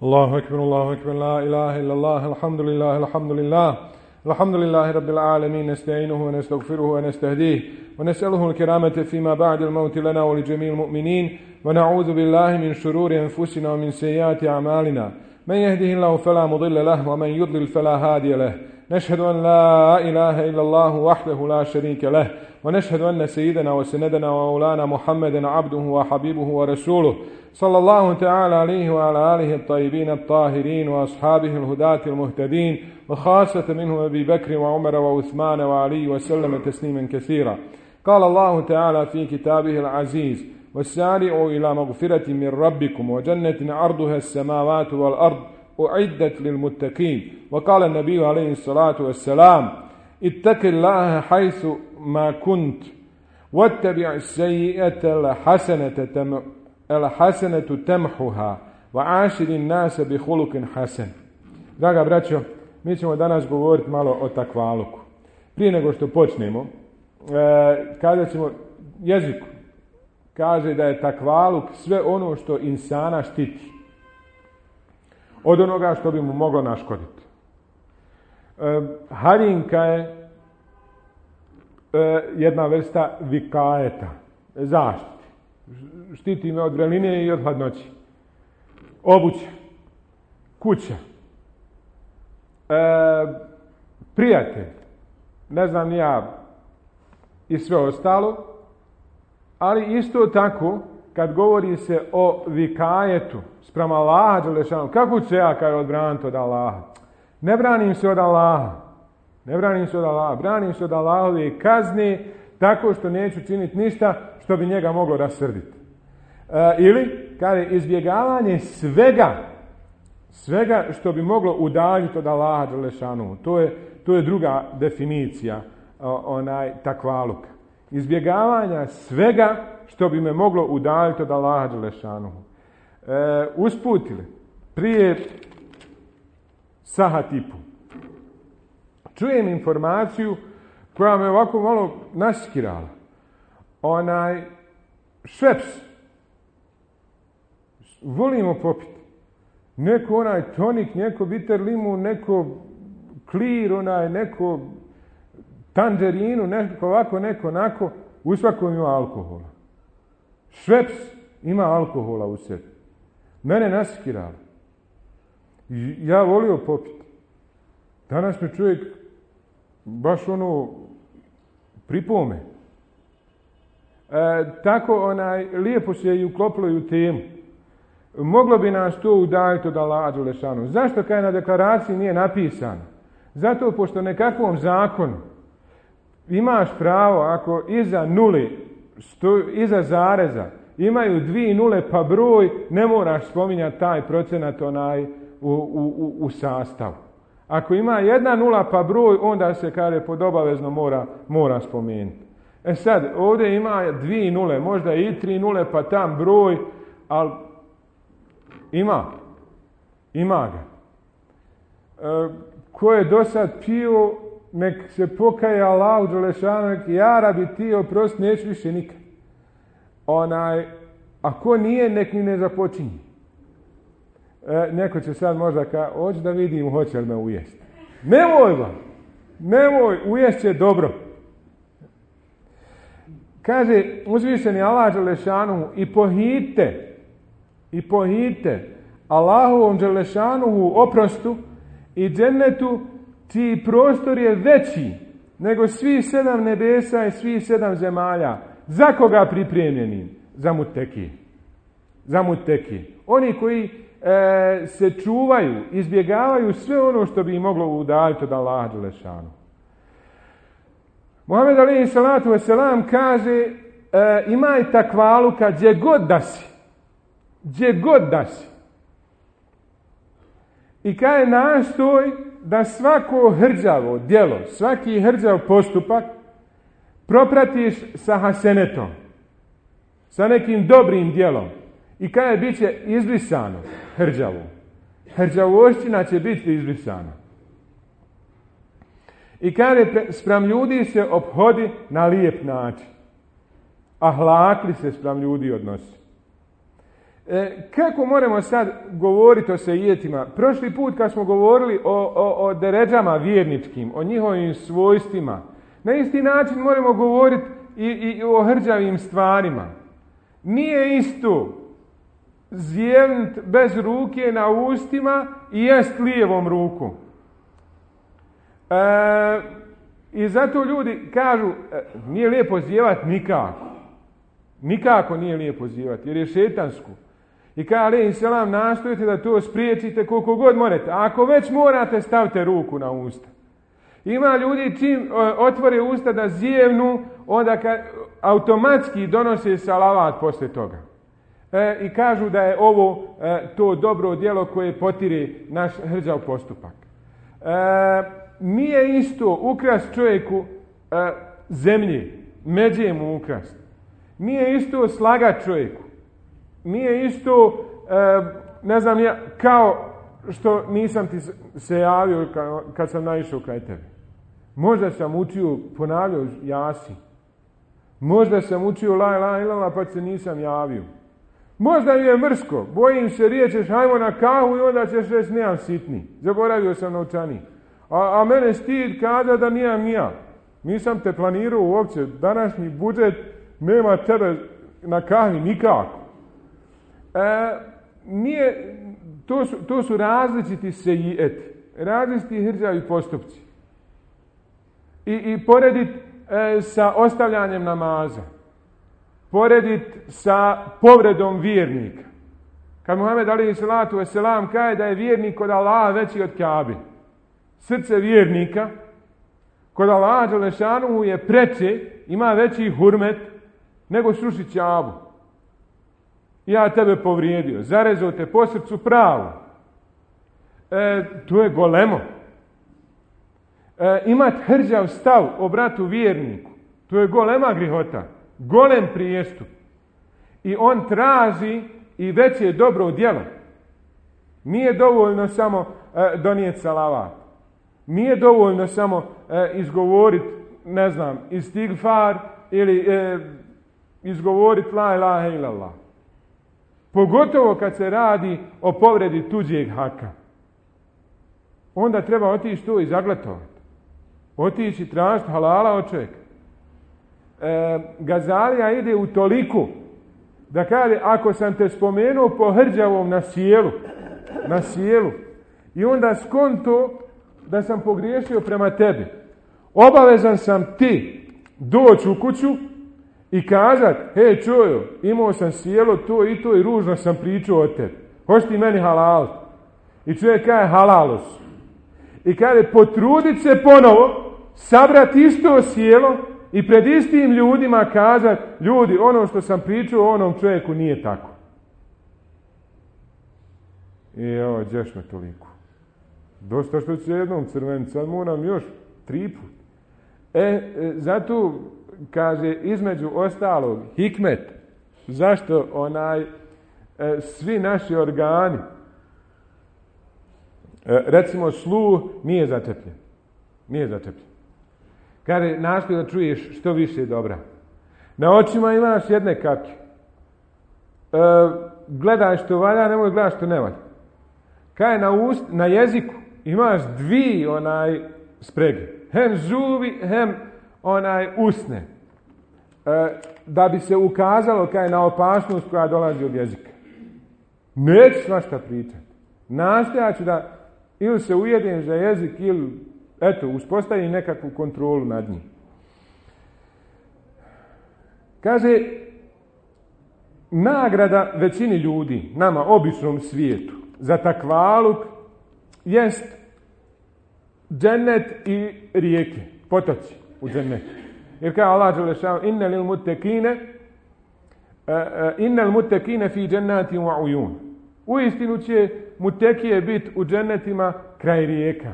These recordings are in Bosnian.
الله أكبر الله أكبر لا إله إلا الله الحمد لله الحمد لله الحمد لله رب العالمين نستعينه ونستغفره ونستهديه ونسأله الكرامة فيما بعد الموت لنا ولجميع المؤمنين ونعوذ بالله من شرور أنفسنا ومن سيئات أعمالنا من يهده الله فلا مضل له ومن يضلل فلا هادي له نشهد أن لا إله إلا الله وحده لا شريك له ونشهد أن سيدنا وسندنا ومولانا محمدا عبده وحبيبه ورسوله صلى الله تعالى عليه وعلى آله الطيبين الطاهرين وأصحابه الهداة المهتدين وخاصة منهم أبي بكر وعمر وعثمان وعلي وسلم تسليما كثيرا. قال الله تعالى في كتابه العزيز والسارعوا إلى مغفرة من ربكم وجنة عرضها السماوات والأرض أعدت للمتقين. وقال النبي عليه الصلاة والسلام اتق الله حيث ما كنت واتبع السيئة الحسنة تمحها وعاشر الناس بخلق حسن. Draga braćo, mi ćemo danas govoriti malo o takvaluku. Prije nego što počnemo, kada ćemo jeziku, kaže da je takvaluk sve ono što insana štiti od onoga što bi mu moglo naškoditi. Harinka je jedna vrsta vikajeta, zaštite. Štiti me od vreline i od hladnoći. Obuća, kuća, prijatelj, ne znam ni ja i sve ostalo, ali isto tako kad govori se o vikajetu spram Allaha dželešanu, kako ću se ja kaj odbraniti od Allaha? Ne branim se od Allaha. Branim se od Allahove kazne tako što neću činiti ništa što bi njega moglo rasrditi. Ili kada je izbjegavanje svega što bi moglo udaljiti od Allaha dželešanu. To je druga definicija takvaluka. Izbjegavanja svega što bi me moglo udaljiti od Allaha dželešanu. Usputili prije sahat i po čujem informaciju koja me ovako malo naskirala. Šveps volimo popiti. Neko tonik, neko bitter limun, neko klir, neko tangerinu, neko ovako, neko onako. U svakom ima alkohola. Šveps ima alkohola u sebi. Mene naskirala. Ja volio popiti. Danas mi čovjek baš pripome. Tako lijepo se i uklopilo i u temu. Moglo bi nas to udaljiti od Allaha dželešanu. Zašto kaj na deklaraciji nije napisano? Zato pošto nekakvom zakonu imaš pravo ako iza nule, iza zareza imaju 2 nule pa broj, ne moraš spominjati taj procenat u sastavu. Ako ima 1 nula pa broj, onda se kaže pod obavezno mora spomenuti. Sad, ovdje ima 2 nule, možda i 3 nule pa tam broj, ali ima ga. Ko je do sad pio, nek se pokaje Allahu dželešanu, nek ja rabi ti oprosti, neću više nikad. A ko nije, nek ni ne započinje. Neko će sad možda hoću da vidim, hoće li me ujesti. Nemoj, ujest će dobro. Kaže uzvišeni Allah dželešanu i pohite Allahovom dželešanuhu oprostu i džennetu čiji prostor je veći nego svi 7 nebesa i svi 7 zemalja. Za koga pripremljeni? Za mutekije. Oni koji se čuvaju, izbjegavaju sve ono što bi im moglo udaljiti od Allaha dželešanu. Muhammed alejhi salatu vesselam kaže imaj takvaluka gdje god da si. I kaže nastoj da svako hrđavo djelo, svaki hrđav postupak propratiš sa hasenetom, sa nekim dobrim djelom i kada bit će izbrisano hrđavo. Hrđavošćina će biti izbrisana. I kada spram ljudi se ophodi na lijep način. Ahlakli se spram ljudi odnosi. Kako moramo sad govoriti o sejijetima? Prošli put kad smo govorili o deređama vjerničkim, o njihovim svojstvima, na isti način moramo govoriti i o hrđavim stvarima. Nije isto zjevnut bez ruke na ustima i jest lijevom rukom. I zato ljudi kažu, nije lijepo zjevati nikako. Nikako nije lijepo zjevati, jer je šetansko. I kaže alejhi selam, nastojite da to spriječite koliko god morate. A ako već morate, stavite ruku na usta. Ima ljudi čim otvore usta da zjevnu, onda automatski donose salavat poslije toga. I kažu da je ovo to dobro djelo koje potire naš hrđav postupak. Nije isto ukrast čovjeku zemlje, međe mu ukrast. Nije isto slagat čovjeku. Nije isto, ne znam ja, kao što nisam ti se javio kad sam naišao kraj tebe. Možda sam učio, ponavljao Jasin. Možda sam učio la ilaha illallah pa se nisam javio. Možda mi je mrsko, bojim se riječeš hajmo na kahu i onda ćeš reći nemam sitni. Zaboravio sam novčanik. A mene stid kada da nijam ja. Nisam te planirao uopće. Današnji budžet nema tebe na kahvi nikako. To su različiti sejijeti. Različiti hrđavi postupci. I poredit sa ostavljanjem namaza. Poredit sa povredom vjernika. Kad Muhammed alejhi salatu vesselam kaže da je vjernik kod Allaha veći od Kabe. Srce vjernika kod Allaha dželešanuhu je preče, ima veći hurmet nego srušit Kabu. Ja tebe povrijedio, zarezao te po srcu pravo. To je golemo. Imat hrđav stav o bratu vjerniku, to je golema grihota, golem prijestup. I on traži i veće dobro djelo. Nije dovoljno samo donijeti salavat. Nije dovoljno samo izgovoriti, ne znam, istigfar ili izgovoriti la ilaha illallah. Pogotovo kad se radi o povredi tuđeg haka. Onda treba otići to i zaglatovati. Otići i tražiti halala od čovjeka. Gazalija ide u toliko da kaže ako sam te spomenuo po hrđavom na sjelu i onda skonto da sam pogriješio prema tebi, obavezan sam ti doći u kuću i kazat, hej čujo, imao sam sjelo to i to i ružno sam pričao o tebi. Hoćeš ti meni halal? I čovjek kaže halalos. I kaže potrudit se ponovo, sabrati isto sjelo i pred istim ljudima kazat, ljudi, ono što sam pričao o onom čovjeku nije tako. I ovo, đeš me toliko. Dosta što ću jednom crveni, sad moram još 3 put. Zato, kaže, između ostalog, hikmet, zašto svi naši organi, recimo sluh, nije začepljen. Nije začepljen. Kaže, nastoji da čuješ što više dobra. Na očima imaš jedne kapke. Gledaj što valja, nemoj gledati što ne valja. Kaže, na jeziku imaš 2 sprege. Hem zubi, hem usne. Da bi se ukazalo kaže na opasnost koja dolazi od jezika. Neću svašta pričati. Nastojat ću da ili se ujedem za jezik ili uspostavim nekakvu kontrolu nad njim. Kaže, nagrada većini ljudi, nama, običnom svijetu, za takvaluk jest džennet i rijeke, potoci u džennetu. Jer kaže Allah dželešanu, innal mutekine fi džennatin wa ujun. Uistinu će mutekije biti u džennetima kraj rijeka.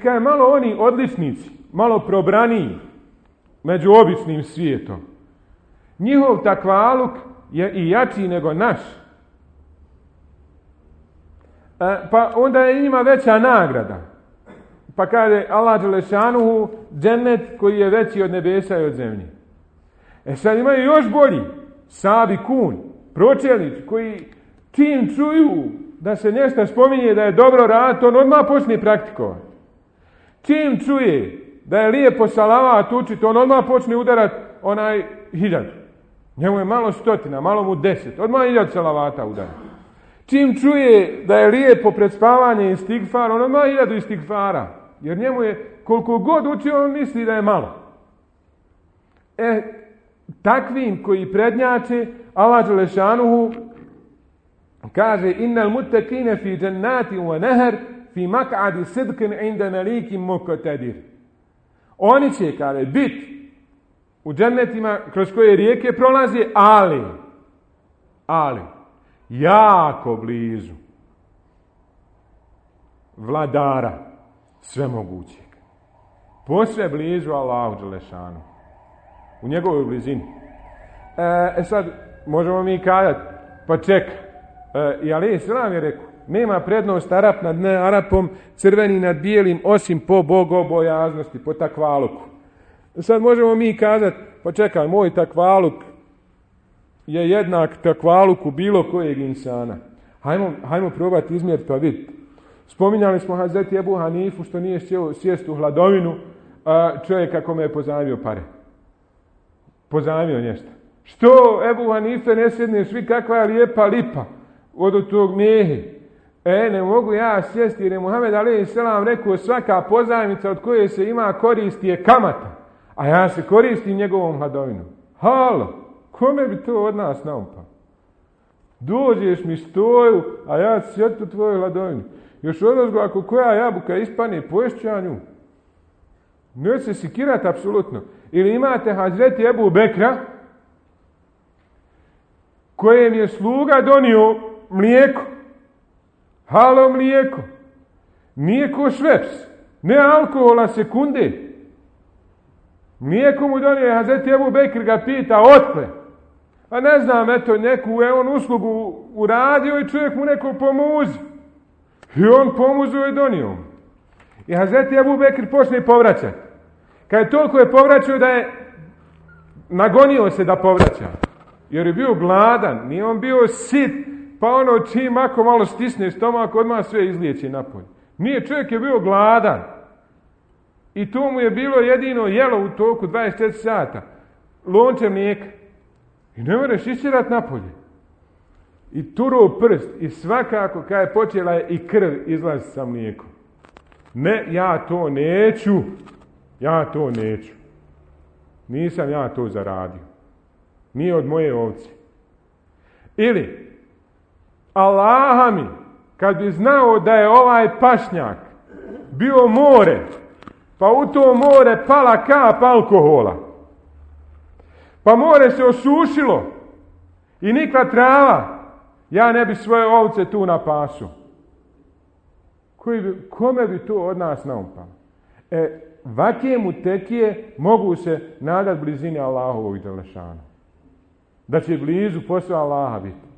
Kaže malo oni odličnici, malo probraniji, među običnim svijetom. Njihov takvaluk je i jači nego naš. Pa onda je njima veća nagrada. Pa kaže Allah dželešanuhu, džennet koji je veći od nebesa i od zemlje. Sad imaju još bolji, sabikun, pročelnici koji čim čuju da se nešto spominje da je dobro raditi, on odmah počne praktikovati. Čim čuje da je lijepo salavat učiti, on odmah počne udarati 1000. Njemu je malo 100, malo mu 10. Odmah 1000 salavata udarati. Čim čuje da je lijepo pred spavanje istigfar, on odmah 1000 istigfara. Jer njemu je, koliko god učio, on misli da je malo. Takvim koji prednjače, Allah dželešanuhu kaže innal muttaqina fi jannatin wa nahr fi maq'adi sidqin 'inda malikin muqtadir. Oni će, kaže, biti u džennetima kroz koje rijeke prolaze, ali jako blizu vladara svemogućeg. Posve blizu Allahu dželešanu. U njegovoj blizini. Sad, možemo mi kazati, pa čeka. I alejhi selam je rekao, nema prednost Arap nad nearapom, crveni nad bijelim, osim po bogobojaznosti, po takvaluku. Sad možemo mi kazati, pa čekaj, moj takvaluk je jednak takvaluku bilo kojeg insana. Hajmo probati izmjeriti pa vidjeti. Spominjali smo Hazreti Ebu Hanifu što nije sjest u hladovinu, čovjeka kome je pozajmio pare. Pozajmio nešto. Što Ebu Hanife ne sjedneš, svi kakva je lijepa lipa od tog mijehe. Ne mogu ja sjesti jer je Muhammed alejhi selam rekao svaka pozajmica od koje se ima koristi je kamata. A ja se koristim njegovom hladovinom. Halo, kome bi to od nas naupao? Dođeš mi stoju, a ja ću sjeti u tvojoj hladovini. Još odozgo ako koja jabuka ispane, poješću ja nju. Neće se sikirati apsolutno. Ili imate Hazreti Ebu Bekra, kojem je sluga donio mlijeko. Halo mlijeko. Nije ko šveps. Ne alkohola sekunde. Mlijeko mu donio Hazreti Ebu Bekr, ga pita otkle. A ne znam, eto, neku je on uslugu uradio i čovjek mu neko pomuzi. I on pomuzio i donio. I Hazreti Ebu Bekr počne povraćati. Kad je toliko je povraćao da je nagonio se da povraća. Jer je bio gladan, nije on bio sit, pa ono čim ako malo stisne stomak, odmah sve izliječi napolje. Nije, čovjek je bio gladan. I to mu je bilo jedino jelo u toku 24 sata. Lonče mlijeka. I ne možeš išćerat napolje. I turo prst. I svakako kad je počela je i krv izlazi sa mlijekom. Ne, ja to neću. Ja to neću. Nisam ja to zaradio. Nije od moje ovce. Ili, Allaha mi, kad bi znao da je ovaj pašnjak bio more, pa u to more pala kap alkohola, pa more se osušilo i nikla trava, ja ne bi svoje ovce tu na pasu. Kome bi to od nas naupalo? Vakije mutekije mogu se nadat blizini Allahovog dželešana. Da će blizu posao Allaha biti.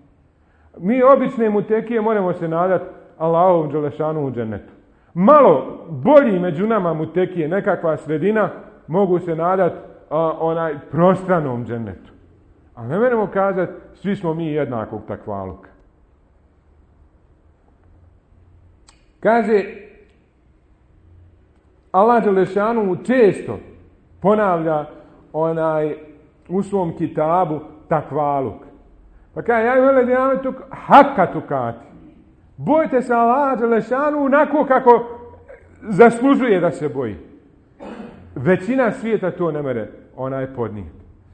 Mi obične mutekije moramo se nadat Allahovom dželešanu u džennetu. Malo bolji među nama mutekije, nekakva sredina, mogu se nadat onaj prostranom džennetu. A ne moramo kazati, svi smo mi jednakog takvaluka. Kaže, Allah dželešanu često ponavlja u svom kitabu takvaluk. Pa kaže, ja vele dijametuk haka tukati. Bojte se Allah dželešanu onako kako zaslužuje da se boji. Većina svijeta to ne mere podnijeti.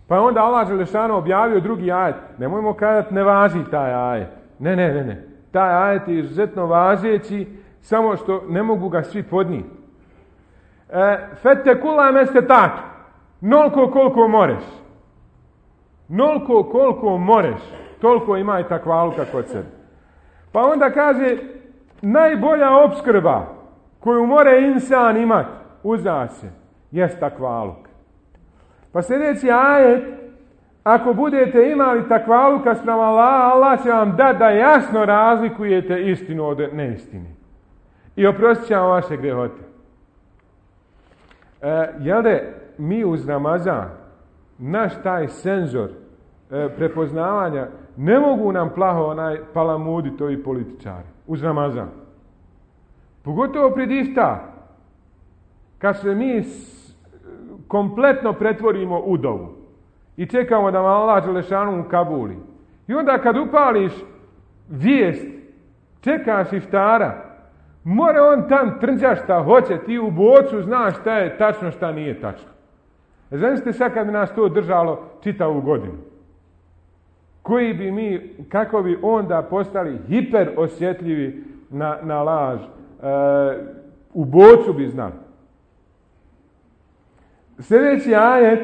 Pa onda Allah dželešanu objavio drugi ajet. Nemojmo kazati ne važi taj ajet. Ne. Taj ajet je izuzetno važeći, samo što ne mogu ga svi podnijeti. Fettekula meste tak. Nolko koliko moreš. Nolko koliko moreš. Toliko ima i takvaluka kod sebe. Pa onda kaže, najbolja opskrba koju more insan imati, uza se, jest takvaluk. Pa sljedeći ajet, ako budete imali takvaluka spram Allaha, Allah će vam dati da jasno razlikujete istinu od neistine. I oprostit će vam vaše grehote. Jel da mi uz Ramazan, naš taj senzor prepoznavanja, ne mogu nam plaho palamuditi ovi političari uz Ramazan. Pogotovo pred iftar. Kad se mi kompletno pretvorimo u dovu i čekamo da vam Allah Đelešanu ukabuli. I onda kad upališ vijest, čekaš iftara, mora on tam trnđa šta hoće, ti u bocu znaš šta je tačno, šta nije tačno. Zamislite sad kad bi nas to držalo čitavu godinu. Kako bi onda postali hiper osjetljivi na laž. U bocu bi znali. Sljedeći ajet,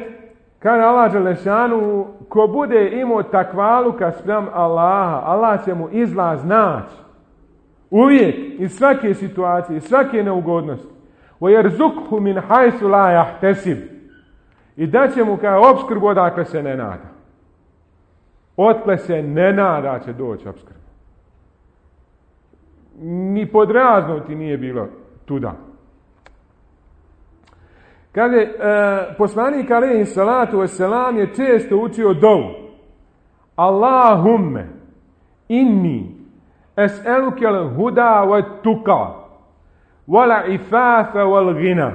kaže Allah Đelešanu, ko bude imao takvaluka spram Allaha, Allah će mu izlaz naći. Uvijek, iz svake situacije, iz svake neugodnosti. وَيَرْزُقْهُ مِنْ حَيْثُ لَا يَحْتَسِبُ. I da će mu kao opskrbu odakle se ne nada. Otkle se ne nada će doći opskrba. Ni podraznuti nije bilo tuda. Kaže, poslanik alejhi salatu vesselam je često učio dovu. Allahumme inni es'eluke al-huda wat-tuqa wal-ifafa wal-ghina.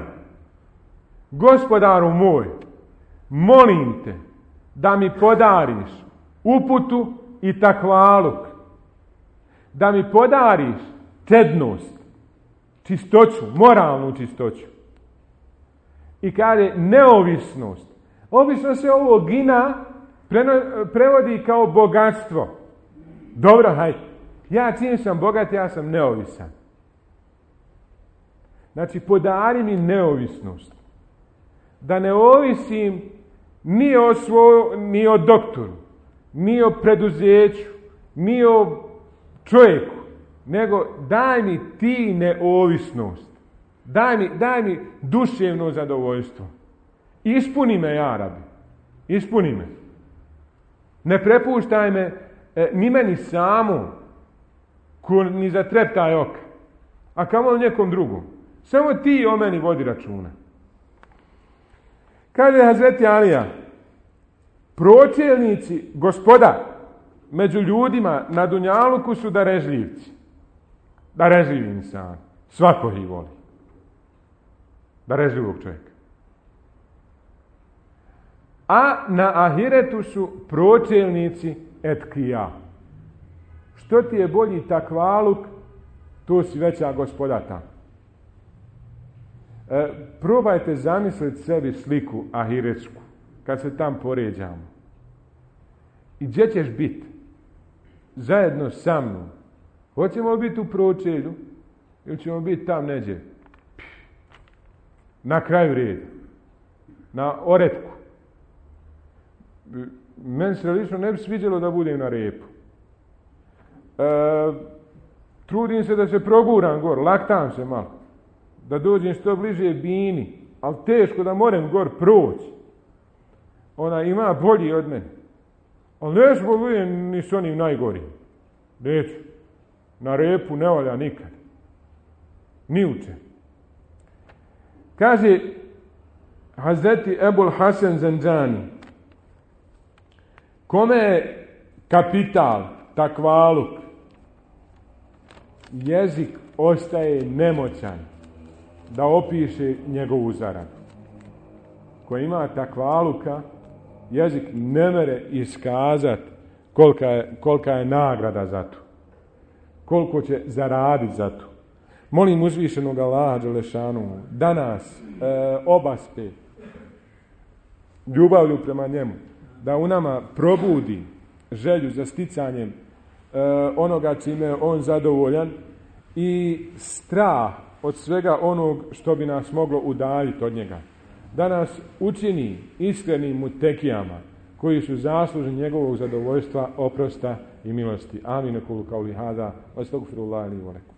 Gospodaru moj, molim te da mi podariš uputu i takvaluk. Da mi podariš čednost, čistoću, moralnu čistoću. I kaže neovisnost. Obično se ovo gina prevodi kao bogatstvo. Dobro, hajde. Ja čim sam bogat, ja sam neovisan. Znači, podari mi neovisnost. Da ne ovisim ni o doktoru, ni o preduzeću, ni o čovjeku, nego daj mi ti neovisnost. Daj mi duševno zadovoljstvo. Ispuni me, ja Rabi. Ispuni me. Ne prepuštaj me ni meni samu, ni za treptaj oka. A kamo nekom drugom. Samo ti o meni vodi računa. Kaže Hazreti Alija, pročelnici gospoda među ljudima na dunjaluku su darežljivci. Darežljivi insan. Svako ih voli. Darežljivog čovjeka. A na ahiretu su pročelnici etkija. Što ti je bolji takvaluk, to si veća gospoda tamo. Probajte zamisliti sebi sliku ahiretsku, kad se tam poređamo. I gdje ćeš biti? Zajedno sa mnom. Hoćemo biti u pročelju ili ćemo biti tam neđe? Na kraju reda. Na oretku. Meni se lično ne bi sviđalo da budem na repu. Trudim se da se proguram gor, laktam se malo. Da dođem što bliže bini, ali teško da moram gor proći. Ona ima bolji od mene. Ali neću budem ni s onim najgorim. Neću. Na repu ne valja nikad. Ni uče. Kaže Hazreti Ebul Hasan Zanđani, kome je kapital, takvaluk, jezik ostaje nemoćan da opiše njegovu zaradu. Ko ima takvaluka, jezik ne mere iskazati kolika je nagrada za to. Koliko će zaraditi za to. Molim uzvišenog Allaha Đelešanu da nas obaspe ljubavlju prema njemu, da u nama probudi želju za sticanjem onoga čime je on zadovoljan i strah od svega onog što bi nas moglo udaljiti od njega. Da nas učini iskrenim mutekijama koji su zaslužni njegovog zadovoljstva, oprosta i milosti. Amin. Kulu kauli hada. Astagfirullah li wa lakum.